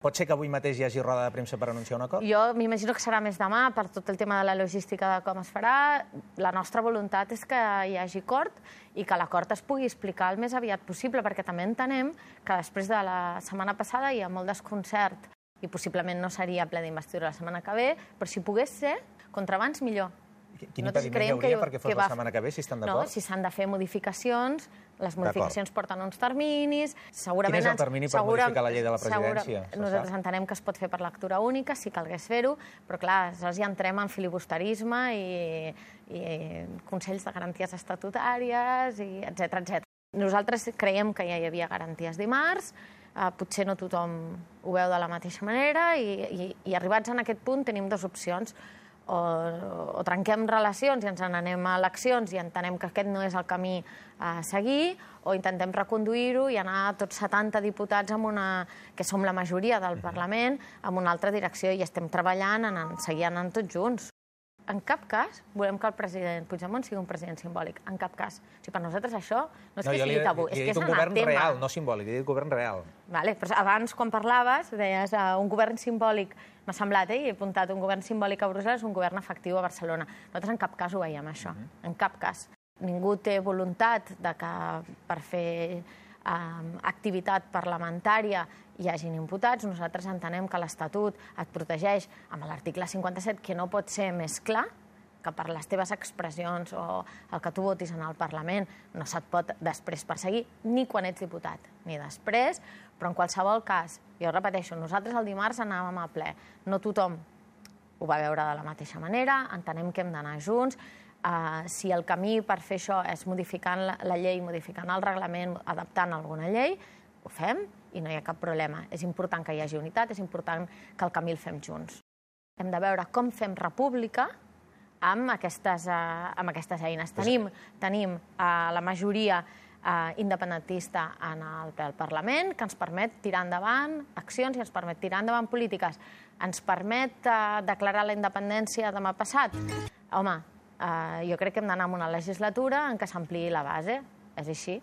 Pot ser que avui mateix hi hagi roda de premsa per anunciar un acord? Jo m'imagino que serà més demà per tot el tema de la logística de com es farà. La nostra voluntat és que hi hagi acord i que l'acord es pugui explicar el més aviat possible, perquè també entenem que després de la setmana passada hi ha molt desconcert i possiblement no seria ple d'investidura la setmana que ve, però si pogués ser, contra abans millor. Quin impediment hi hauria perquè fos la setmana que ve, si estan d'acord? No, si s'han de fer modificacions, les modificacions porten uns terminis... Quin és el termini per modificar la llei de la presidència? Nosaltres entenem que es pot fer per lectura única, si calgués fer-ho, però clar, aleshores ja entrem en filibusterisme i consells de garanties estatutàries, etc. Nosaltres creiem que ja hi havia garanties dimarts, potser no tothom ho veu de la mateixa manera i arribats en aquest punt tenim dues opcions. O trenquem relacions i ens n'anem a eleccions i entenem que aquest no és el camí a seguir, o intentem reconduir-ho i anar tots 70 diputats, que som la majoria del Parlament, en una altra direcció i estem treballant en seguir anant tots junts. En cap cas volem que el president Puigdemont sigui un president simbòlic. En cap cas. O sigui, per nosaltres això no és que sigui tabú, és que és anatema. Un govern real, no simbòlic, he dit govern real. Però abans, quan parlaves, deies un govern simbòlic. M'ha semblat, i he apuntat, un govern simbòlic a Brussel·les, un govern efectiu a Barcelona. Nosaltres en cap cas ho veiem, això. En cap cas. Ningú té voluntat que per fer activitat parlamentària hi hagin imputats. Nosaltres entenem que l'Estatut et protegeix amb l'article 57, que no pot ser més clar, que per les teves expressions o el que tu votis en el Parlament no se't pot després perseguir, ni quan ets diputat, ni després, però en qualsevol cas, jo repeteixo, nosaltres el dimarts anàvem a ple. No tothom ho va veure de la mateixa manera, entenem que hem d'anar junts. Si el camí per fer això és modificant la llei, modificant el reglament, adaptant alguna llei, ho fem i no hi ha cap problema. És important que hi hagi unitat, és important que el camí el fem junts. Hem de veure com fem república amb aquestes eines. Tenim la majoria independentista en el Parlament, que ens permet tirar endavant accions i ens permet tirar endavant polítiques. Ens permet declarar la independència demà passat? Home, jo crec que hem d'anar a una legislatura en què s'ampliï la base. És així.